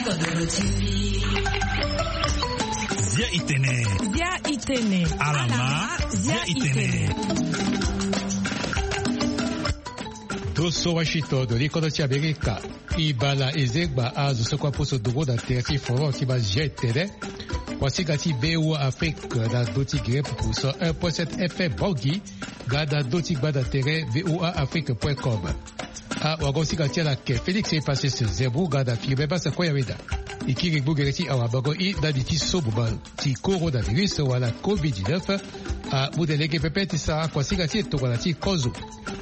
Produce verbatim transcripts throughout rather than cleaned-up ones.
Zia itene. Zia itene. Alama. Zia itene. Doso Washington, do li kodo ti Amerika. Ibala ezengba azo soko aposo dongo na tere ti forum ti ba zia itene. Kuasinga ti V O A Afrique na ndo ti gere pupu cent un point sept F M Bangui, nga na ndo ti gbanda tere V O A Afrique point com. Awagosinga ti ala ake Félix Epasis Zembo nga na Firmin Basa Koyaweda. E kiri ngbongere ti awabango i ndani ti so boma ti coronavirus wala covid dix-neuf. Amu na lege pepe ti sara kuasinga ti e tongana ti kozo.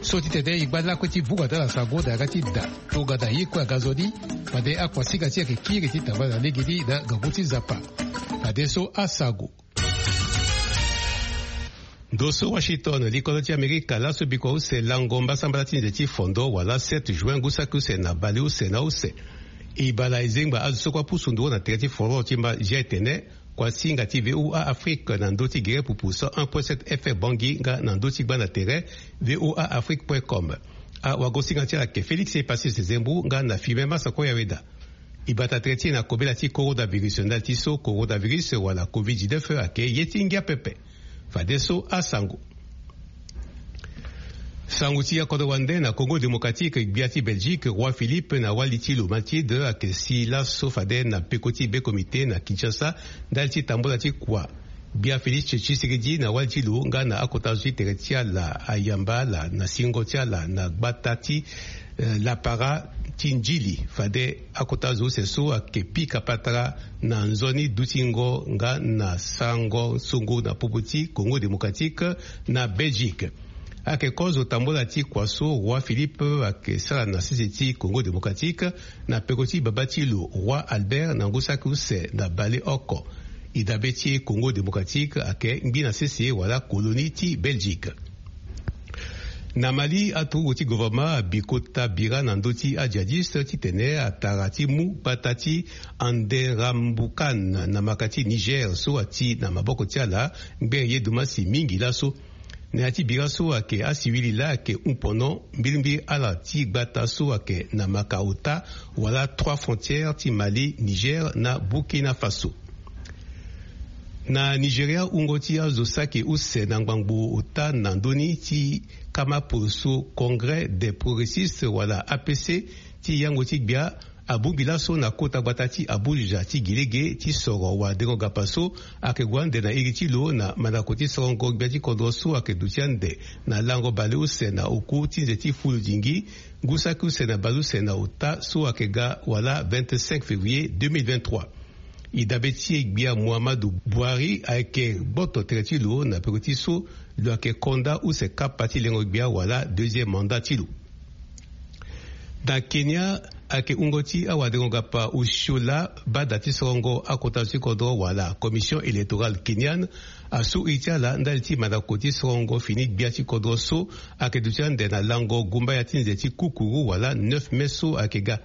So titene e ngba lakue ti vunga na ala sango na yanga ti da tongana ye kue aga nzoni. Fade akuasinga ti e ayeke kiri ti tambala na legeni na ngangu ti Nzapa. Fadeso asango. Ndo so Washington, likodo ti Amerika, laso bikua use lango mbasambala ti nze ti fondo wala sept juin ngu saki use na bale use na use. Ibala ezengba azo soko apusu nduru na tere ti forum ti mba zia etene, kuasinga ti V O A Afrique na ndö ti gere pupu cent un point sept F M Bangui nga na ndö ti gbanda tere V O A Afrique point com. Awagosinga ti ala ake Félix Epasis Zembo nga na Firmin Basa Koyaweda. E bata tere ti e na kobela ti coronavirus ndali ti so coronavirus wala covid dix-neuf ayeke ye ti ngia pepe. Fadeso asango. Sango ti akodro wande na Congo Démocratique, gbia ti Belgique, roi Philippe na wali ti lo Mathilde ayeke si laso fade na peko ti be comité na Kinshasa ndali ti tambula ti kua. Gbia Félix Tshisekedi na wali ti lo nga na akota zo ti tere ti ala ayamba ala na singo ti ala na gbata ti, eh, lapara ti Ndjili. Fade akota zo use so ayeke pika patara na nzoni dutingo nga na sarango songo na popo ti Congo Démocratique na Belgique. Ayeke kozo tambula ti kua so roi Philippe ayeke sara na sese ti Congo Démocratique na peko ti baba ti lo roi Albert na ngu saki use na baleoko. E dabe ti e Congo Démocratique ayeke ngbi na sese wala colonie ti Belgique. Na Mali, aturugu ti gouvernement abi kota bira na ndö ti ajihadiste titene atara ti mu gbata ti Anderambukan na maka ti Niger so ati na maboko ti ala ngbene ye dumasi mingi laso. Na ya ti bira so ayeke asiwili laa ayeke hon pono mbilimbili ala ti gbata so ayeke na maka ota wala trois frontières ti Mali, Niger na Burkina Faso. Na Nigeria, wungo ti azo saki use na ngbangbo ota na ndö ni ti kama poroso Congrès des progressistes wala A P C ti yango ti gbia abongbi laso na kota gbata ti Abuja ti gi lege ti soro wadengo-gapa so ayeke gue ande na iri ti lo na mandako ti sorongo gbia ti kodro so ayeke duti ande na lango baleuse na oku ti nze ti fuludingi ngu saki use na baleuse na ota so ayeke ga wala vingt-cinq février deux mille vingt-trois. E dabe ti e gbia Muhammadu Buhari ayeke gboto tere ti lo na peko ti so lo ayeke konda use kapa ti lengo gbia wala deuxième mandat ti lo. Na Kenya, ayeke wungo ti awadengo-gapa osio laa bada ti sorongo akota zo ti kodro wala Commission électorale kenyane asu iri ti ala ndali ti mandako ti sorongo fini gbia ti kodro so ayeke duti ande na lango gumbaya ti nze ti kukuru wala neuf mai so ayeke ga.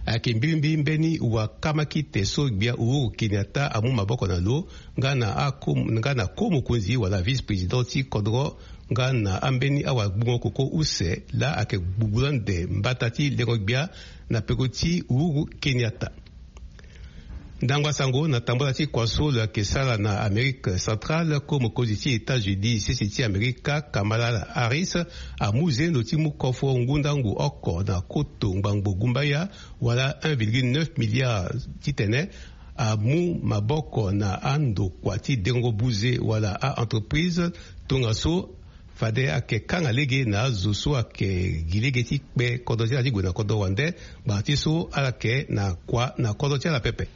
Ayeke mbilimbili mbeni wakamaki te so gbia Uhuru Kenyatta amu maboko na lo nga na ako, nga na ko mokonzi wala vice-président ti kodro nga na ambeni awagbungo koko use laa ayeke gbugbu ande mbata ti lengo gbia na peko ti Uhuru Kenyatta. Ndangba sango na tambula ti kua so lo yeke sara na Amérique centrale, ko mokonzi ti États-Unis sese ti Amerika, Kamala Harris, amu zendo ti mu kofo ngundangu oko na koto ngbangbo gumbaya wala un virgule neuf milliard titene amu maboko na andokua ti dengo buze wala a-entreprise. Tongaso fade ayeke kanga lege na azo so ayeke gi lege ti kpe kodro ti ala ti gue na kodro wande. Ngbanga ti so ala yeke na kua na kodro ti ala pepe.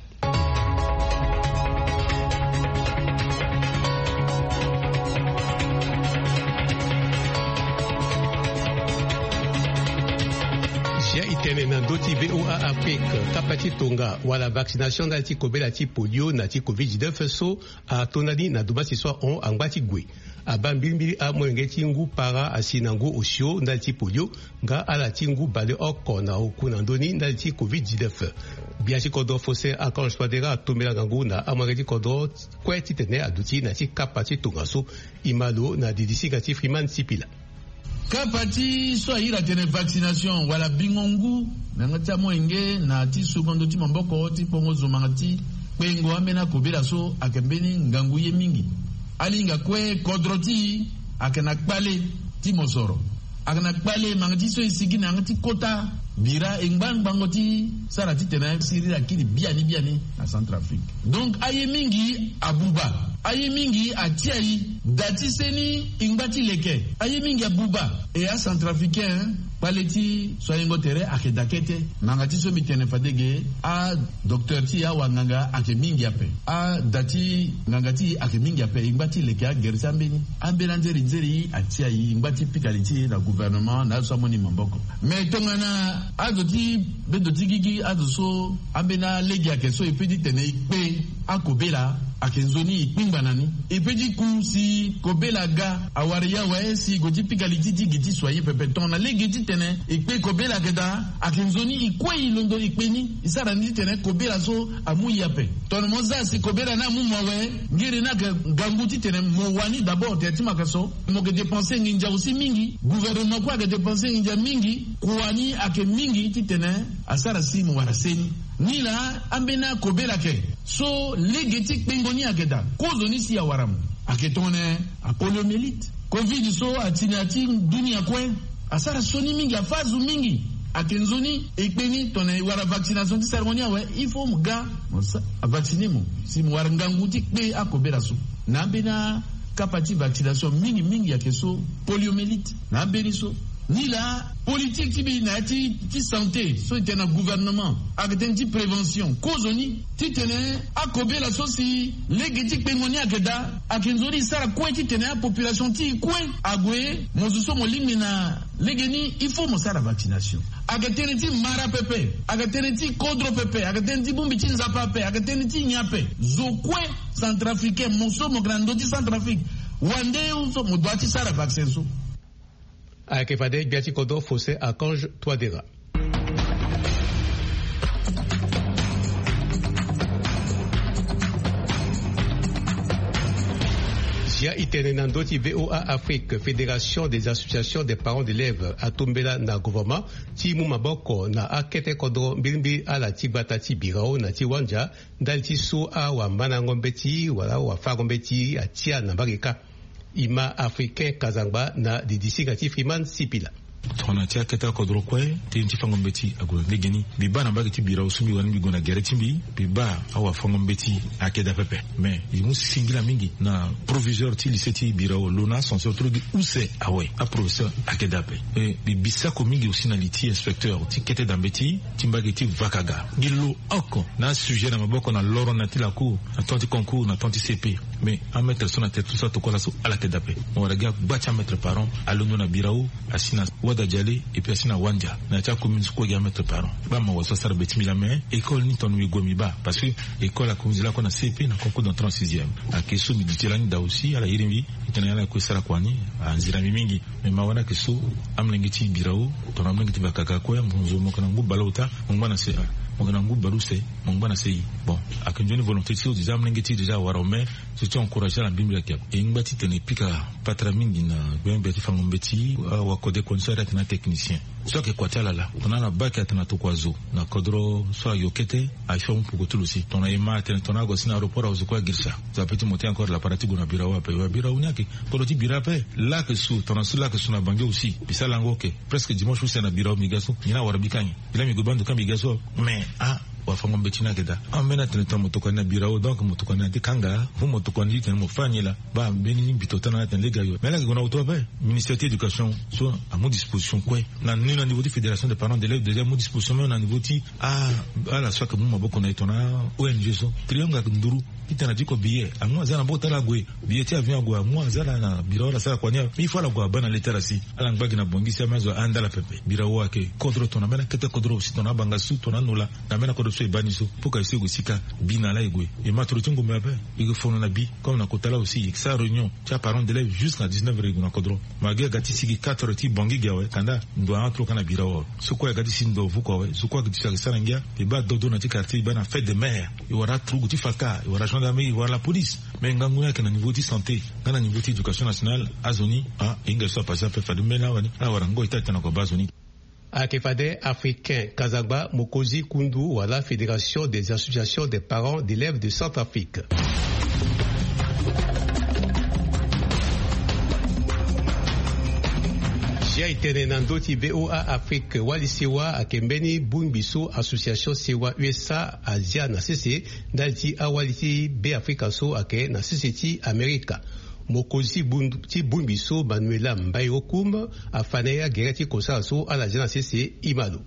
Zia e tene na ndö ti V O A Afrique, kapa ti tonga wala vaccination ndali ti kobela ti polio na ti covid dix-neuf so atonda ni na dumasi so ahon angba ti gue. Abaa mbilimbili amolenge ti ngu para asi na ngu osio ndali ti polio, nga ala ti ngu baleoko na oku na ndö ni ndali ti covid dix-neuf. Gbia ti kodro Faustin Archange Touadéra atombela ngangu na amolenge ti kodro kue titene aduti na ti kapa ti tongaso. E ma lo na didisinga ti Freeman Sipila. Kapa ti so ahiri atene vaccination wala bingo ngu na yanga ti amolenge na ti sugo ndo ti maboko ti kpongo zo manga ti kpengo ambeni akobela so ayeke mbeni ngangu ye mingi. Alingbi akue kodro ti e ayeke na kpale ti mosoro, ayeke na kpale manga ti so e sigi na yanga ti kota bira e ngba ngbango ti sara titene siriri akiri biani biani na Centrafrique. Donc aye mingi abuba, aye mingi atia e. Da ti seni e ngba ti leke, aye mingi abuba. E acentrafricain, kpale ti so ayengo tere ayeke da kete. Manga ti so mbi tene fade ge, adocteur ti e, awanganga ayeke mingi ape. Ada ti nganga ti e ayeke mingi ape. E ngba ti leke agere ti ambeni, ambeni anzeri nzeri atia e, e ngba ti pika li ti e na gouvernement na azo so amoni maboko. Mais tongana azo ti bedo ti gigi, azo so ambeni alege ayeke so e pe titene e kpe akobela, ayeke nzoni e kpingba na ni. E pe ti ku si kobela aga, awara e awe si e gue ti pika li ti e ti gi ti soigner pepe. Tongana lege titene e kpe kobela ayeke daa, ayeke nzoni e kue e londo e kpe ni, e sara ni titene kobela so amu e ape. Tongana mo za si kobela ni amu mo awe, ngere ni ayeke ngangu titene mo wani d'abord tere ti maka so. Mo yeke dépenser nginza aussi mingi, gouvernement kue ayeke dépenser nginza mingi. Kua ni ayeke mingi titene asara si mo wara seni. Nilaa ambeni akobela ayeke so lege ti kpengo ni ayeke daa, kozoni si awara mo. Ayeke tongana apoliomyélite, covid so ati na ya ti dunia kue, asara sioni mingi, afâ azo mingi. Ayeke nzoni e kpe ni. Tongana e wara vaccination ti sarango ni awe, il faut mo ga mo sa, avacciner mo si mo wara ngangu ti kpe akobela so. Na ambeni akapa ti vaccination mingi mingi ayeke so, poliomyélite na ambeni so. Nilaa politique ti mbi na ya ti, ti santé so e tene na gouvernement ayeke tënë ti prévention. Kozoni titene akobela so si lege ti kpengo ni ayeke daa, ayeke nzoni e sara kue titene apopulation ti e kue ague. Mo zo so mo lingbi na lege ni, il faut mo sara vaccination. Ayeke tënë ti mara pepe, ayeke tënë ti kodro pepe, ayeke tënë ti bongbi ti nzapa ape, ayeke tënë ti nyen ape. Zo kue, centrafricain, mo so mo yeke na ndö ti Centrafrique, wande so mo doit ti sara vaccin so. Ayeke fade gbia ti kodro Faustin Archange Touadéra. Zia e tene na ndö ti VOA Afrique, Fédération des associations des parents d'élèves atombela na gouvernement ti mu maboko na akete kodro mbirimbiri ala ti gbata ti Birao na ti Wandia, ndali ti so awamandango mbeti wala awafango mbeti atia na mbage kâ. Ima Africain Kazangba na didisinga ti Freeman Sipila. Tongana ti akete akodro kue, tënë ti fango mbeti ague na ndege ni. Mbi baa na mbage ti Birao so mbi wani mbi gue na gere ti mbi, mbi baa awafango mbeti ayeke daa pepe. Mais e mu singila mingi na proviseur ti lycée ti Birao lo na ascenseur ti lo gi use awe. Aprofesseur ayeke daa ape. E mbi bi sako mingi aussi na li ti inspecteur ti kete daa mbeti ti mbage ti Vakaga. Gi lo oko na asujet na maboko na loro na ya ti lacour, na temps ti concours, na temps ti C P. Mais amaître so na tere ti so atokua laso ala yeke daa ape. Mo wara gi agba ti amaître parent alondo na Birao, asi na Wada Diale, et puis asi na Wandia. Na ya ti acommune so kue gi amaître parent. Baa mawa so asara be ti mbi laa, mais école ni tongana mbi gue mbi baa. Parce que école akominzi lakue na C P na concours d'entrée en sixième. Ayeke so mbi di ti lani daa aussi, ala iri mbi. Titene ala kue sara kua ni anzira mbi mingi. Mais mawa ni ayeke so, amolenge ti Birao, tongana amolenge ti Vakaga kue, mo zo mo yeke na ngu bale ota, mo ngba na C un. Mo yeke na ngu bale use, mo ngba na C I. Bon, ayeke nzoni volonté ti so déjà amolenge ti e déjà awara awe, mais so ti encourager ala mbirimbiri ayeke ape. E ngba titene e pika patara mingi na gbengbe ti fango mbeti, awakode kua ni so ayeke na atechnicien. So ayeke kua ti ala laa, tongana ala baa ayeke atene atokua zo na kodro so ayo kete, aye so amu poko ti lo si. Tongana e ma atene tongana ague asi na aéroport awe zo kue agirisa. Zo ape ti monter encore lapara ti gue na Birao ape. Wa Birao ni ayeke kodro ti bira ape. Laa ayeke su, tongana so laa ayeke su na Bangui aussi. Mbi sara lango oke. Presque dimanche use na Birao mbi ga so. Nyen awara bika nyen? Mbi laa mbi gue baa ndo kâ mbi ga so. Mais ah, wafango mbeti ni ayeke daa. Ambeni atene tongana mo tokua ni na Birao, donc mo tokua ni na ti kanga. Fo mo tokua ni ti tene mo fâ ni laa. Baa mbeni mbito tana atene lege ayo. Mais laa ayeke gue na hoto ape. Ministère ti éducation so amu disposition kue. Na ni na niveau ti fédération des parents d'élèves déjà amu disposition même na niveau ti ah, ala so ayeke mu maboko na e tongana O N G so. Triangle ayeke nduru. Titene atiko billet, amu aza na maboko ti ala ague. Billet ti avion ague, amu aza ala na Birao ala sara kua ni awe. Il faut ala gue abaa na letara si. Ala ngba gi na Bangui si ameni azo ahanda ala pepe. Birao ayeke kodro tongana ambeni akete kodro si tongana abanga su tongana anola. Na ambeni akodro so e baa ni so. Poka e so e gue sika. Bi na ala e gue. E ma toro ti ngombe ape. E gue fono na bi. Comme na kota laa aussi e sara réunion ti aparent d'élève jusqu'à dix-neuf heures e gue na kodro. Malgré aga ti sigi quatre heures ti Bangui gi awe, kanda ndo ahon ti lo kâ na Birao awe. So kue aga ti si ndo vuku awe, so kue aga ti si aga sara ngia. E baa dodo na ti quartier, e baa na fête des mères. E wara aturugu ti faka, e wara Ngangu na mei wala police, mais ngangu ni ayeke na niveau ti santé nga na niveau ti éducation nationale. Azo ni, ah, e hinga so apase ape fade mbeni awani ala wara ngoi ti atene na kobaa azo ni. Ayeke fade Africain Kazagba, mokonzi kundu wala Fédération des associations des parents d'élèves de Centrafrique. Zia e tene na ndö ti VOA Afrique, wali sewa ayeke mbeni bongbi so association sewa U S A azia na sese ndali ti awali ti Be Afrika so ayeke na sese ti Amerika. Mokonzi ti bongbi so, Manuela Mbayokum, afa na ye agere ti kosala so ala zia na sese. E ma lo.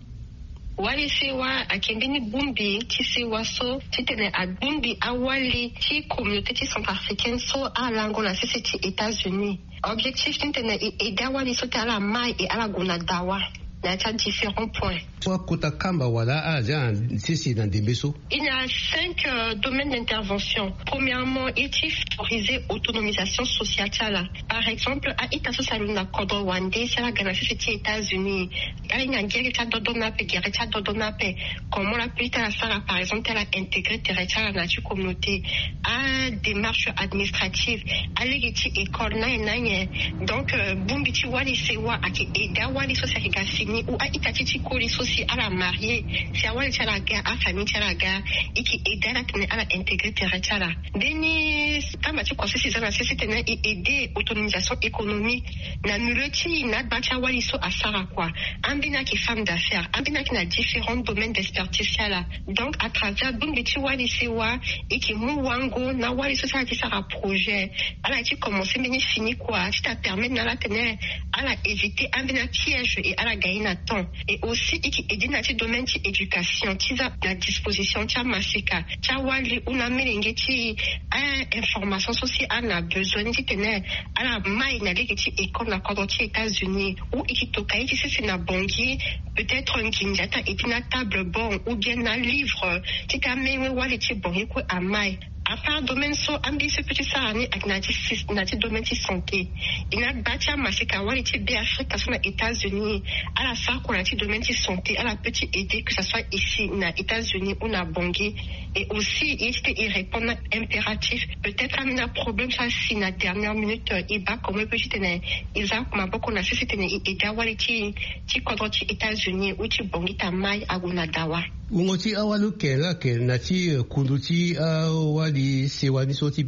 Wali sewa ayeke mbeni bongbi ti sewa so titene abongbi awali ti communauté ti centrafricaine so alango na sese ti États-Unis. Objectif titene e aidé awali so ti ala mai e ala gue na dawa na ya ti adifférent point. So akota kamba wala ala zia na sese na ndembe so. Il y a cinq, euh, domaines d'intervention. Premièrement, e ti favoriser autonomisation sociale ti ala. Par exemple, a-ita so si alondo na kodro wande si ala ga na sese ti États-Unis, ala hinga gere ti adodo ni ape, gere ti adodo ni ape. Comment la peut ti ala sara, par exemple, ti ala intégrer tere ti ala na ya ti communauté, adémarche administrative, alege ti école na ye na ye. Donc, euh, bongbi ti wali sewa ayeke aidé awali so si ayeke ga fini ou a-ita ti ti koli so si ala marié, si awali ti ala aga, afamille ti ala aga, e yeke aidé ala titene ala intégrer tere ti ala. Mbeni kamba ti kua so si e za na sese titene e aidé autonomisation économique na milieu ti na agba ti awali so asara kua. Ambeni ayeke femme d'affaires, ambeni ayeke na différents domaines d'expertise ti ala. Donc à travers bongbi ti wali sewa, e yeke mu wango na awali so si ala ti sara projet, ala ti commencer mbeni fini kua ti ta permettre na ala titene ala éviter ambeni apiège et ala gagner na temps. Et aussi e yeke aidé na ti domaine ti éducation ti za na disposition ti amaseka ti awali ou na amolenge ti, eh, information so si ala na besoin ni titene ala mai na lege ti école na kodro ti États-Unis, ou e yeke toka ye ti sese na Bangui, peut-être nginza ti ta aidé na table banc ou bien na livre ti ta amenge wali ti Bangui kue amai. À part domaine so, ambeni so e peut ti sara ni ayeke na ti sys-, na ti domaine ti santé. E na agba ti amaseka wali ti Be Afrika so na États-Unis, ala sara kua na ti domaine ti santé, ala peut ti aidé que ça soit ici na États-Unis ou na Bangui. Et aussi e ti tene e répondre na impératif. Peut-être ambeni aproblème so asi na dernière minute, euh, e baa comment e peut ti tene e za maboko na sese titene e aidé awali ti, ti kodro ti États-Unis ou ti Bangui ti amai ague na dawa. Wungo ti awali oke laa ayeke na ti, eh, kundu ti awali sewa ni so ti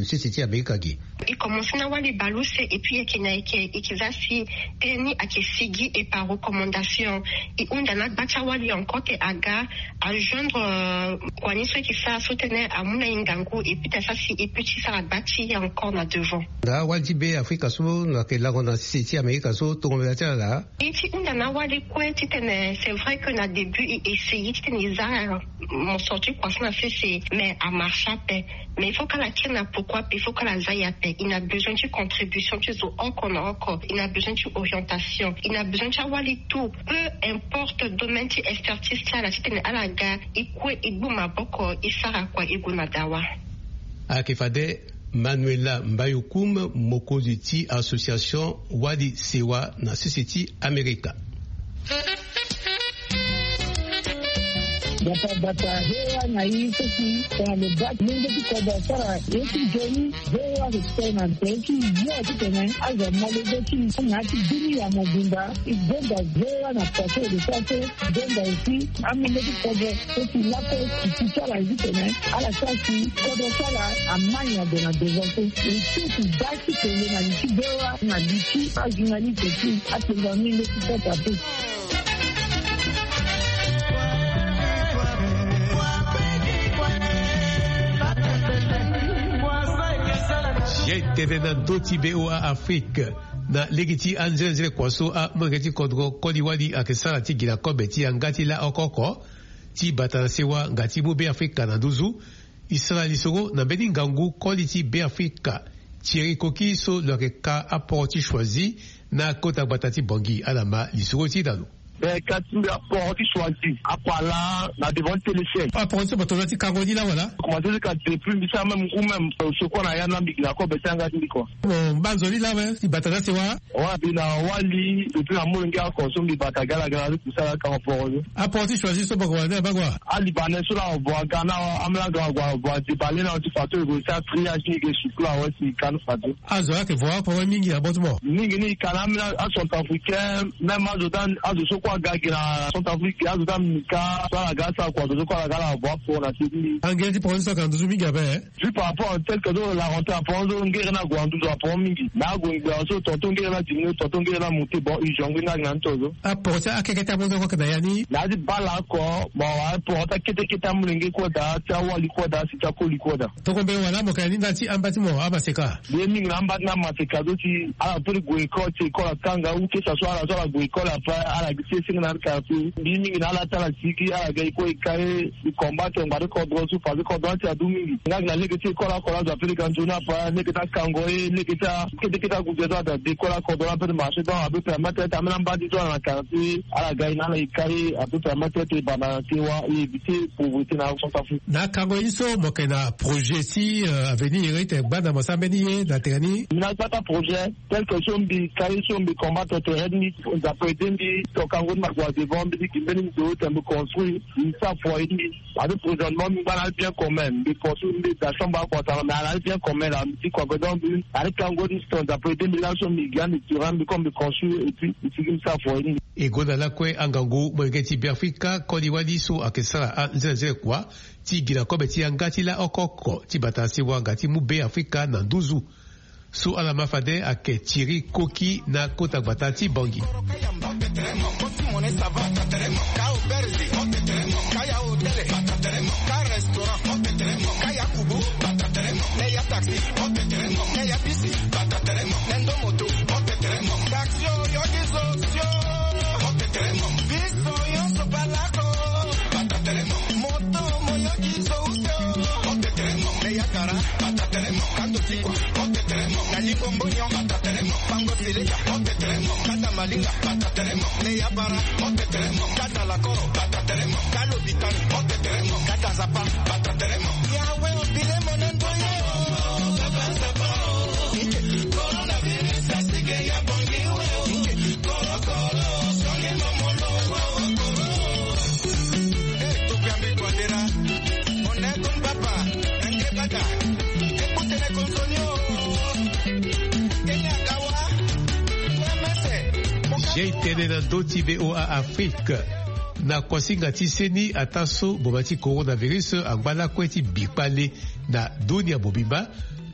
sese ti Amerika ge. E commencer na awali baleuse et puis e yeke na e yeke, e yeke za si tënë ni ayeke sigi et par recommandation. E hunda na agba ti awali encore ke aga ajoindre, euh, kua ni so e yeke sara so titene amu na e ngangu et puis ta sara si e peut ti sara gba ti e encore na devant. Na awali ti Be Afrika so na yeke lango na sese ti Amerika so tongo mbela ti ala. E ti hunda na awali kue titene, c'est vrai que na début e essayer titene e za, euh, mo sorti kua so na sese, mais amarche ape. Mais il faut que ala kiri na poko ape, il faut que ala za e ape. E na besoin ti contribution ti zo oko na oko. E na besoin ti orientation. E na besoin ti awali tout, peu importe domaine ti expertise ti ala, titene ala ga e kue e gbu maboko e sara kua e gue na dawa. Ayeke fade Manuela Mbayokoum, mokonzi ti association Wali Sewa na sese ti Amerika. Gbata gbata, V O A na e so si tongana lo baa lenge ti kodro asara ye ti nzoni, V O A ayeke tene na tere ti yo titene azo amolenge ti na ya ti bini ya mobimba. E gonda V O A na pase de pase, gonda aussi amolenge ti kodro so si lakue ti ti ti ala ye titene ala sara si kodro ti ala amai na gue na devant so. E so ti baa ti tene na li ti V O A na li ti ajournaliste ti apenza mingi ti kota pe. Ye tene na ndö ti V O A Afrique na lege ti anzenenzele kua so amolenge ti kodro koli wali ayeke sara ti gi na kobe ti yanga ti la oko oko ti bata na sewa nga ti mu Be Afrika na nduzu. E sara lisoro na mbeni ngangu koli ti Be Afrika, Thierry Koki so lo yeke ka aporo ti choisi na kota gbata ti Bangui. Ala ma lisoro ti e na lo. Mais ka ti mbi aport ti choisi akua laa na devant ti téléchaîne. Aport ti so bato na ti kango ni laa wala? Commencé ti ka depuis mbi sara même ngu même, euh, sokua na ya na mbi gi na kobe ti yanga ti mbi kua. Bon, mbanzo ni laa we ti bata na sewa? Wa mbi na wali depuis na molenge oko so mbi bata ga ala ga na ti kusala kango port ni. Aport ti choisi so bako wala nde na bako wa? Alibanais so laa avo aga na amelanga avo adéballé na ti fato ego ti atriage ni ge sukula awe si kanu fato. Azo ayeke vo akpama mingi na botemo. Mingi ni ka na ambeni acentrafricain, même azo ti azo so kue aga gi na centrafrique azo ti amika so ala ga asara kua azo so kue ala ga ala vo apo na se ti mbi. Angere ti poro ni so ayeke na nduzu mingi ape. Juste par rapport tel que so la rentrée apo so ngere ni ague na nduzu apo mingi na ague ngbia so tonton ngere ni adiminué tonton ngere ni amonté bon urgent ngbeni ake na ni to so. Aporo ti akeke ti amonté kue ayeke na ya ni. Na ya ti bala oko. Bon, aporo ti akete kete amolenge kue daa ti awali kue daa si ti akoli kue daa. Toko mbeni wala mo ka ya ni ndali ti amba ti mo amaseka? Mbi ye mingi na amba ti na maseka so si ala peut ti gue école si école akanga ou que ça soit ala so ala gue école après ala gi ti esenge na ala quartier. Mbi ye mingi na ala ti ala sigi ala ga école e ka ye. Mbi combattre ngbari kodro so parce que kodro ni si adu mingi nga gi na lege ti école oko la azo ape lege anzoni après lege ti akango ye lege ti akete kete aguze so ada de école akodro la ape ti marché donc ape permettre ti ambeni ambadi so ala na quartier ala ga ye na ala e ka ye ape permettre ti e banda na sewa e éviter pauvreté na centrafrique. Na akango ye ni so mo yeke na projet ti, euh, avenir iri ti gbanda mo sara mbeni ye na tere ni? Mbi na gbata projet tel que so mbi ka ye so mbi combattre tere ni nzapa ede mbi to kango ni ma gue na devant mbi ti gi mbeni ndo te mbi construire mbi sara foyer ti mbi. Ade présentement mbi ngba na ali bien commun mbi construire mbi da chambre akua tanga mais ala ali bien commun la mbi ti kua pe donc mbi na ali kango ni si to nzapa ede mbi laso mbi gi ande tirant mbi comme mbi construire et puis mbi sigi mbi sara foyer ti mbi. E gonda lakue angangu molenge ti Beafrika koli wali so ayeke sara anzenanzene kua ti gi na kobe ti yanga ti laoko oko ti bata na sewa nga ti mu Beafrika na nduzu. So ala ma fade ayeke tiri koki na kota gbata ti Bangui. Jei tënë na ndö ti V O A Afrique. Na kuasinga ti seni ataa so boma ti coronavirus angba lakue ti bi kpale na dunia mobimba,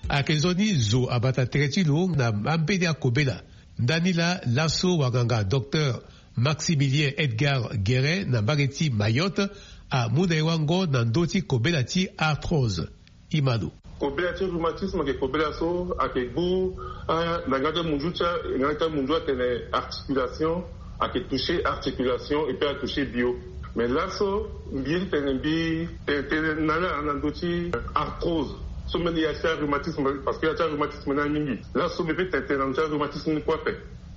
ayeke nzoni zo abata tere ti lo na ambeni akobela. Ndani laa laso wanganga docteur Maximilien Edgar Guérin na mbage ti Mayotte amu na e wango na ndö ti kobela ti arthrose. Imano. Kobela ti rhumatisme ayeke kobela so ayeke gbu, ah, na nga ti amunzu ti a nga ti amunzu atene articulation ayeke toucher articulation et puis atoucher bio. Mais laso mbi ye ti tene mbi tene tënë na ala na ndö ti arthrose so mbeni ya ti arhumatisme parce que ya ti arhumatisme ni amingi. Laso mbi peut tene tënë na ndö ti arhumatisme ni kue ape.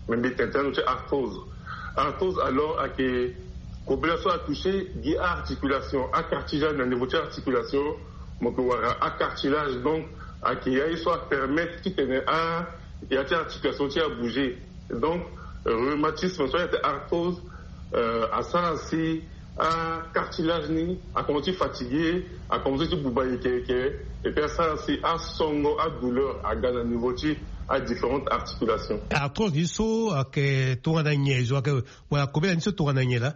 Mais mbi tene tënë na ndö ti arthrose. Arthrose alors ayeke kobela so atoucher gi aarticulation acartilage na niveau ti articulation. Mo yeke wara acartilage donc ayeke ya ye so apermettre titene a ya ti articulation ti abouger. Donc rhumatisme so ayeke arthrose, euh, asara si acartilage ni akomanse ti fatigué, akomanse ti buba yeke yeke. Et puis asara si asongo adouleur aga na niveau ti adifférentes articulations. Arthrose ni so ayeke tongana nyen zo ayeke wala kobela ni so tongana nyen laa?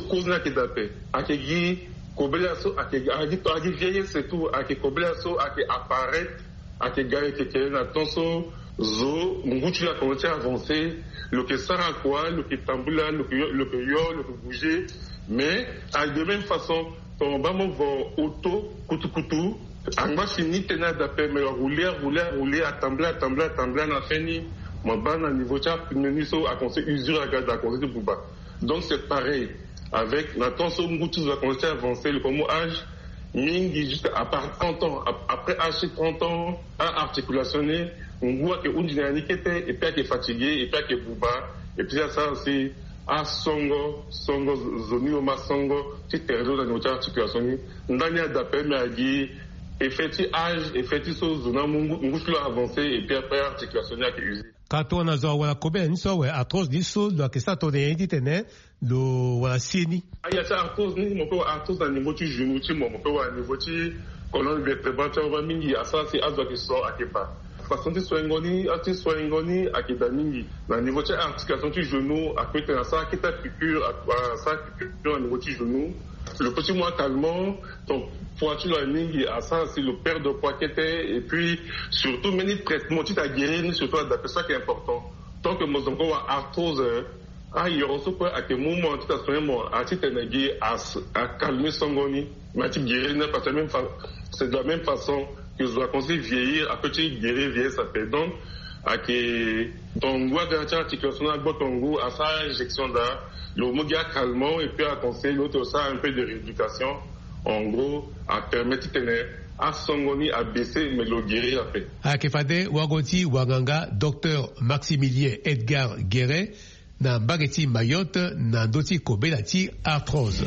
Cause ni ayeke daa ape. Ayeke gi kobela so ayeke gi ayeke gi vieillesse et tout ayeke kobela so ayeke apparaître. Ayeke ga yeke kele na temps so zo ngu ti lo akomanse ti avancer. Lo yeke sara kua lo yeke tambula lo yeke yo lo yeke yo lo yeke bouger. Mais ayeke de même façon ton baa mo vo auto kutukutu. Angba si ni tënë daa ape mais arouler arouler arouler atambula atambula atambula na fin ni mo baa na niveau ti apneu ni so akomanse usure aga daa akomanse ti buba. Donc c'est pareil avec na temps so ngu ti zo akomanse ti avancer lo komo âge mingi juste à part trente ans après âge ti trente ans aarticulation ni ngu ayeke hunzi na ya ni kete et puis ayeke fatigué et puis ayeke buba. Et puis asara si Asongo songo zo ni lo ma songo ti tere lo na niveau ti articulation ni. Ndani ada pe me agi effet ti âge, effet ti so zo na mu ngu ti lo avancé et puis après articulation ni ayeke usé. Ka tongana zo awara kobe na ni so awe arthrose ni so lo yeke sara tongana nyen titene lo wara sie ni? Aya ti arthrose ni mo pe wara arthrose na niveau ti genou ti mo mo pe wara niveau ti colonne vertébrale ti awa mingi asara si azo ayeke so ayeke baa. Façon ti soingo ni ti soingo ni ayeke daa mingi. Na niveau ti articulation ti genou ape tena asara kete piqûre asara piqûre na niveau ti genou. Lo pe ti mu acalmant. Donc poids ti lo aye mingi asara si lo perdre poids kete. Et puis surtout mbeni traitement ti ta guérir ni surtout adape so ayeke important. Tant que mo zongo wa arthrose ayoro so kue ayeke mu mo na ti ta soin mo na ti tene gi acalme songo ni. Mais ti guérir ni parce que même fa c'est de la même façon que zo aconseille vieillir ape ti guérir vieillesse ape. Donc ayeke tongu aga na ti articulation na gbo tongu asara injection daa. Lo mu gi acalmant et puis aconseille lo ti lo sara un peu de rééducation. En gros apermet ti tene asongo ni abaisse mais lo guérir ape. Ayeke fade wago ti wanganga docteur Maximilien Edgar Guéret na mbage ti Mayotte na ndö ti kobela ti arthrose.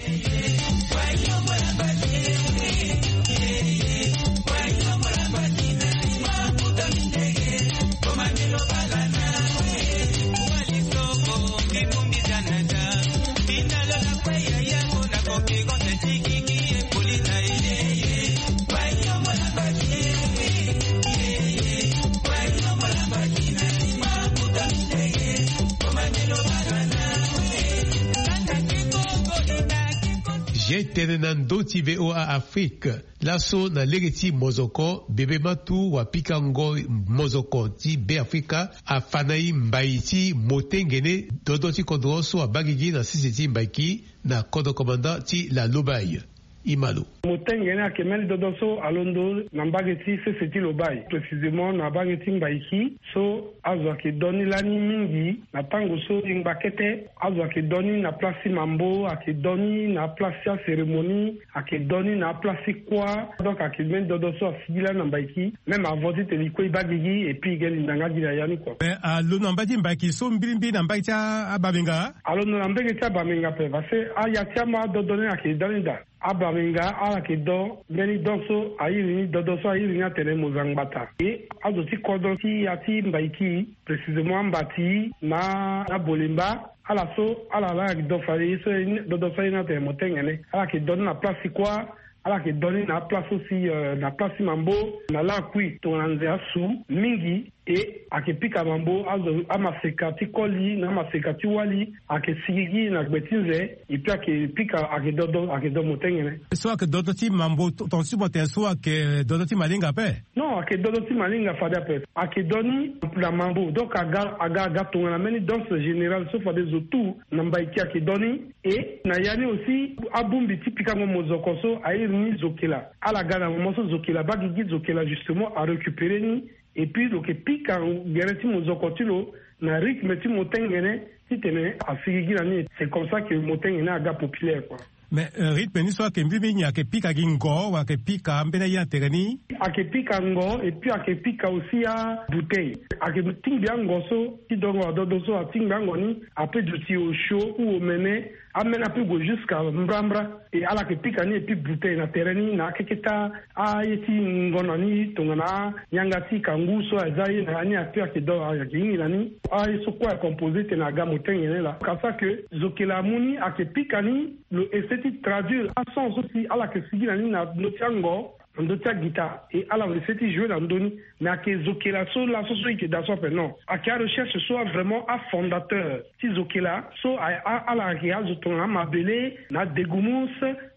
Ge tene na ndö ti V O A Afrique. Laso na lege ti mozoko bebe matu wa pikango mozoko ti Be Afrika afa na e mbai ti motengene dodo ti kodro so abaa gigi na sese ti Mbaiki na kodro komanda ti la Lobaye. Imalo. Motengene ayeke mbeni dodo so alondo na mbage ti sese ti Lobaye, précisément na mbage ti Mbaiki. So azo ayeke do ni lani mingi na tango so e ngba kete. Azo ayeke do ni na place ti mambo, ayeke do ni na place ti acérémonie, ayeke do ni na place ti kuâ. Donc ayeke mbeni dodo so asigi lani na Mbaiki. Même avant ti tene e kue e baa gigi et puis e ge linda nga gi na ya ni kua. Mais alondo na mbage ti Mbaiki so mbirimbiri na mbage ti abamenga? Alondo na mbage ti abamenga ape parce que aya ti ama adodo ni ayeke da ni daa. Abamenga ala yeke do mbeni don so a iri ni dodo so a iri ni atene mo za ngbata. E azo ti kodro ti ya ti Mbaiki, précisément ambati na abolemba, ala so ala la yeke do fade ye so dodo so a iri ni atene motengene. Ala yeke do ni na place ti kuâ. Ala yeke do ni na aplace so si na place ti mambo na lakui tongana nze asu mingi. E ayeke pika mambo azo amaseka ti koli na amaseka ti wali ayeke sigigi na gbe ti nze. Epi ayeke pika ayeke dodo ayeke do motengene. So ayeke dodo ti mambo tonga ti mo tene so ayeke dodo ti malinga ape? Non, ayeke dodo ti malinga fade ape. Ayeke do ni na mambo donc aga aga aga tongana mbeni danse générale so fade zo tout na Mbaiki ayeke do ni. E na ya ni aussi abongbi ti pikango mozoko so a iri ni zokela. Ala ga na moment so zokela abaa gigi, zokela justement arécupéré ni. Et puis lo yeke pika gere ti mozoko ti lo na rythme ti motengene titene asigigi na ni. C'est comme ça que motengene aga populaire kua. Mais rythme ni so ayeke mbirimbiri nyen? Ayeke pika gi ngo wala ayeke pika ambeni aye na tere ni? Ayeke pika ngo et puis ayeke pika aussi abouteille. Ayeke tingbi ango so ti dongo adodo so atingbi ango ni ape duti osio ou omene. Ameni ape gue jusqu'à mbrambra. E ala yeke pika ni et puis bouteille na tere ni na akeketa aye ti ngonda ni tongana anyanga ti kangu so aza ye na ya ni ape ayeke do ayeke hingi na ni. Aye so kue ayeke composé tene aga motengene laa. Ka sara ke zokela amu ni ayeke pika ni lo essaie ti traduire ason so si ala yeke sigi na ni na ndö ti ango na ndö ti agita. E ala essaie ti jouer na ndö ni. Mais ayeke zokela so laso so e yeke daa so ape non. Ayeke arecherche so avraimment afondateur ti zokela so ala yeke azo tongana amabele na adegumus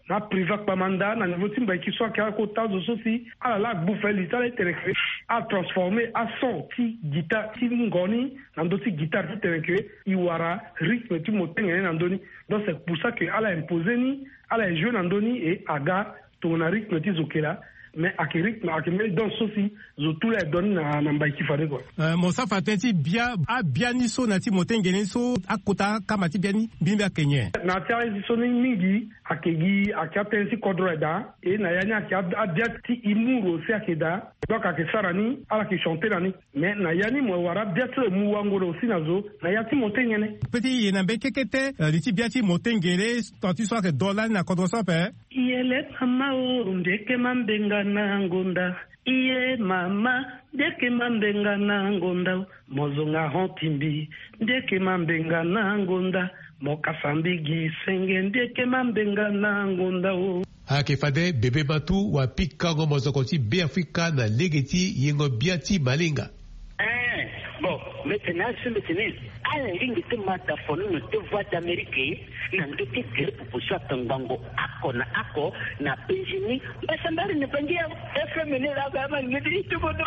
na apriva kpamanda na niveau ti Mbaiki so ayeke akota azo so si ala la agbu fali ti ala ti tene ke atransformer ason ti gita ti ngo ni na ndö ti guitare ti tene ke e wara rythme ti motengene na ndö ni. Donc c'est pour ça que ala imposer ni, ala e jouer na ndö ni et aga tongana rythme ti zokela. Mais ake rythme, ake mbeni danse so si zo tu la e don ni na na mbai ti fade kua. Mo sara fa tënë ti bia abia ni so na ti motengene ni so akota akama ti bia ni mbimbi ake nyen? Na ti aye ti so ni mingi ake gi ake atënë ti kodro aye daa. E na ya ni ake abia ti humour aussi ake daa. Donc ake sara ni ala ake chanter na ni. Mais na ya ni mo wara bia ti lo mu wango lo aussi na zo na ya ti motengene. Pe ti ye na mbeni kekete li ti bia ti motengene. Tant ti so ake do lani na kodro so ape. Yele mama o, ndeke mambenga na ngonda. Iye mama, ndeke mambenga na ngonda o. Mo zonga hon timbi, ndeke mambenga na ngonda. Mo kasa mbigi senge, ndeke mambenga na ngonda o. Ayeke fade bebe ma tu wapikango mozoko ti Beafrika na lege ti yengo bia ti malinga. Eh, bon, mete na asu mete ni. Ala lingbi ti mata fono na te Voix d'Amérique na ndö ti gere pupu so atongbango ako na ako na penzi ni. Mbasambari na bangi ya F M ni la ba ma ngedi ti bodo.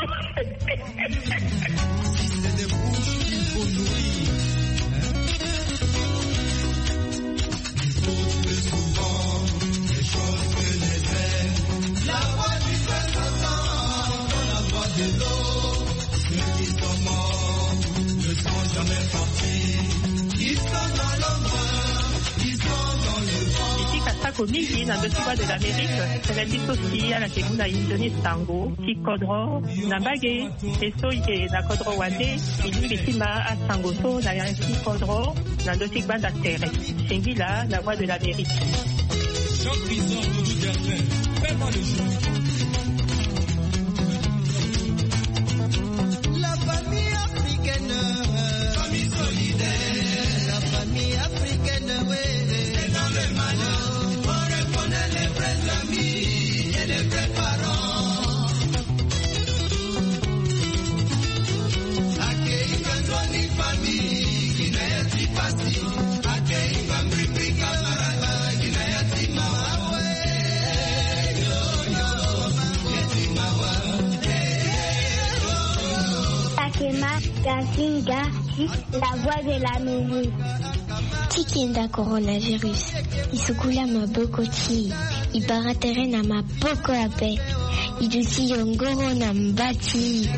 Li ti kasako mingi na ndö ti Voix de l'Amérique. Tënë ti so si ala yeke mu na e nzoni sango ti kodro na mbage. E so e yeke na kodro wande, e lingbi ti ma asango so na ya ti kodro na ndö ti gbanda tere. Singila na Voix de l'Amérique. Jean-Christophe Doudou Gervais, fais-moi le jeu. La famille africaine, famille solidaire, la famille africaine, oui. C'est dans le malheur qu'on reconnaît les vrais amis et les vrais parents. Akema Gazinga, la voix de l'Amérique. Ti kenda coronavirus, e sukula maboko ti e, e bara tere na maboko ape, e duti yongoro na mba ti e.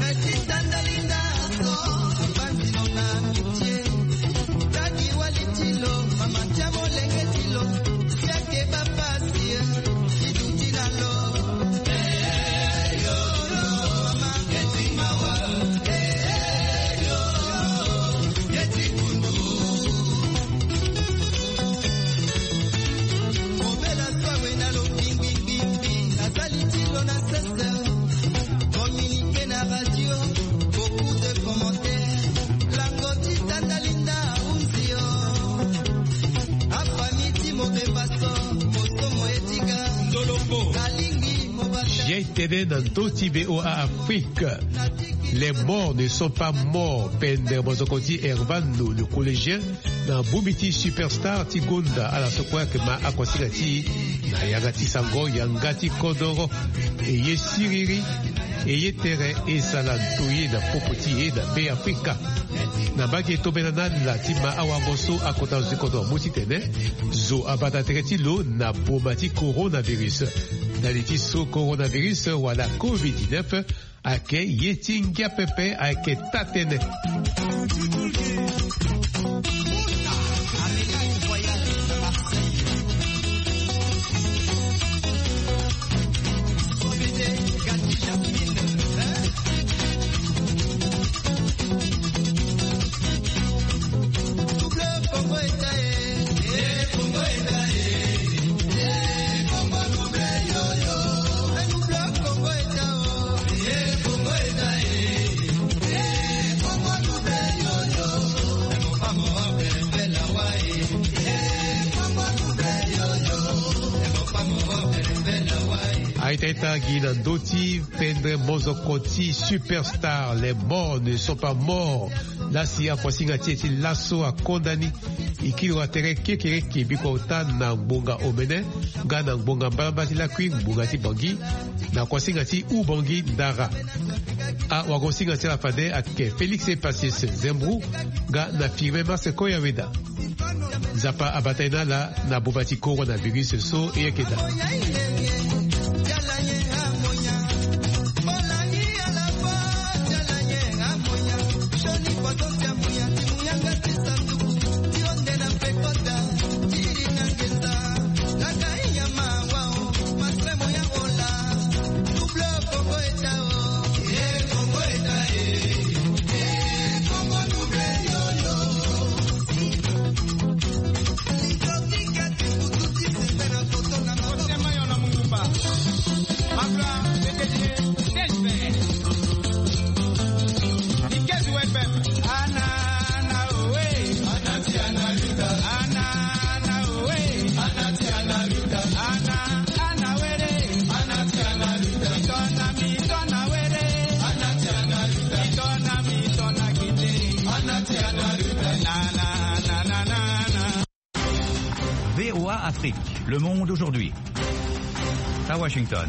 Jai tene na ndö ti V O A Afrique. Les morts ne sont pas morts. Pendere mozoko ti Hervano, le collégien, na bongbi ti Superstar ti gonda ala so kue ayeke ma akosinga ti e na yanga ti sango, yanga ti kodoro. E ye siriri, e ye tere, e sala ndoye na popo ti e na Beafrika. Na mbage tombela na ala ti ma awango so akota zo ti kodro amu titene zo abata tere ti lo na boma ti coronavirus. Na li ti so coronavirus wala covid dix-neuf ayeke ye ti ngia pepe, ayeke taa-tënë. Aita ita gi na ndö ti pendere mozoko ti Superstar, les morts ne sont pas morts. Lasi akosinga ti e ti laso akonda ni. E kiri wa tere kekereke biko ota na ngbonga omene nga na ngbonga mbalambala ti lakui ngbonga ti Bangui, na kosinga ti Ubangui Ndara. Awagosinga ti ala fade ayeke Félix Epacius Zembro nga na Firmin Maseko Yaweda. Nzapa abata e na ala na boma ti coronavirus so e yeke daa. Afrique, le monde aujourd'hui. À Washington.